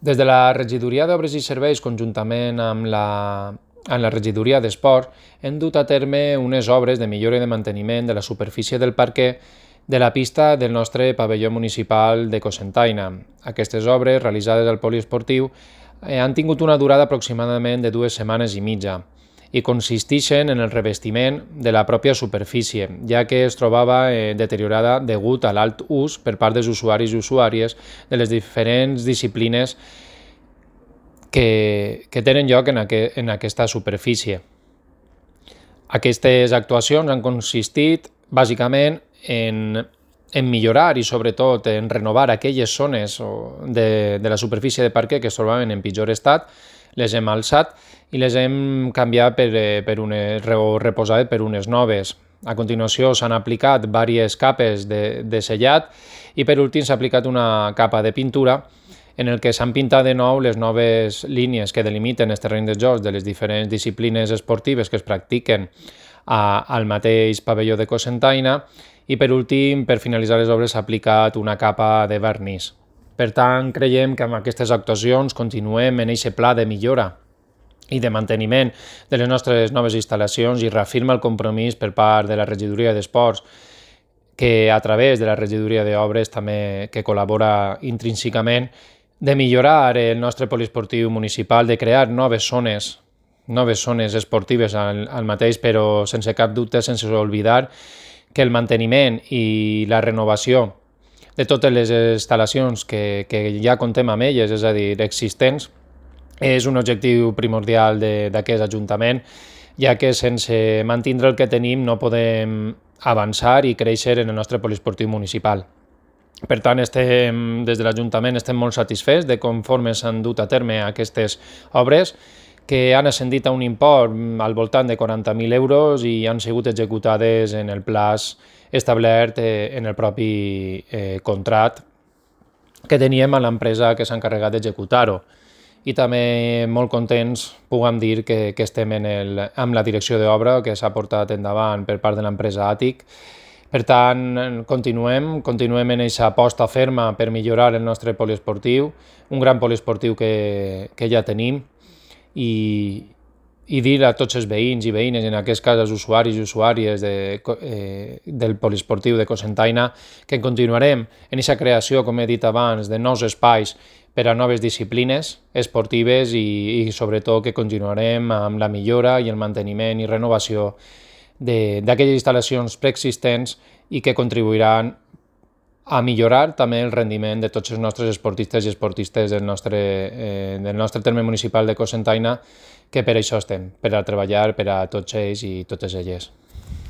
Des de la Regidoria d'Obres i Serveis, conjuntament amb la Regidoria d'Esport, hem dut a terme unes obres de millora i de manteniment de la superfície del parquet de la pista del nostre pavelló municipal de Cocentaina. Aquestes obres, realitzades al poliesportiu, han tingut una durada aproximadament de 2 setmanes i mitja i consisteixen en el revestiment de la pròpia superfície, ja que es trobava deteriorada degut a l'alt ús per part dels usuaris i usuàries de les diferents disciplines que tenen lloc en aquesta superfície. Aquestes actuacions han consistit bàsicament en millorar i sobretot en renovar aquelles zones de la superfície de parquet que es trobaven en pitjor estat, les hem alçat i les hem canviat reposat per unes noves. A continuació s'han aplicat diverses capes de sellat i per últim s'ha aplicat una capa de pintura en el que s'han pintat de nou les noves línies que delimiten els terrenys de joc de les diferents disciplines esportives que es practiquen al mateix pavelló de Cocentaina i per últim, per finalitzar les obres, s'ha aplicat una capa de vernís. Per tant, creiem que amb aquestes actuacions continuem en aquest pla de millora i de manteniment de les nostres noves instal·lacions i reafirma el compromís per part de la Regidoria d'Esports, que a través de la Regidoria d'Obres també que col·labora intrínsecament, de millorar el nostre poliesportiu municipal, de crear noves zones esportives al mateix, però sense cap dubte, sense oblidar que el manteniment i la renovació de totes les instal·lacions que ja contem amb elles, és a dir, existents, és un objectiu primordial d'aquest Ajuntament, ja que sense mantindre el que tenim no podem avançar i créixer en el nostre poliesportiu municipal. Per tant, des de l'Ajuntament estem molt satisfets de conforme s'han dut a terme aquestes obres, que han ascendit a un import al voltant de 40.000 euros i han sigut executades en el plaç establert en el propi contracte que teníem a l'empresa que s'ha encarregat d'executar-ho. I també molt contents puguem dir que estem amb la direcció d'obra que s'ha portat endavant per part de l'empresa Àtic. Per tant, continuem en aquesta aposta ferma per millorar el nostre poliesportiu, un gran poliesportiu que ja tenim, i dir a tots els veïns i veïnes, en aquest cas els usuaris i usuàries del poliesportiu de Cocentaina, que continuarem en aquesta creació, com he dit abans, de nous espais per a noves disciplines esportives i sobretot que continuarem amb la millora i el manteniment i renovació d'aquelles instal·lacions preexistents i que contribuiran a millorar també el rendiment de tots els nostres esportistes i esportistes del nostre terme municipal de Cocentaina, que per això estem, per a treballar per a tots ells i totes elles.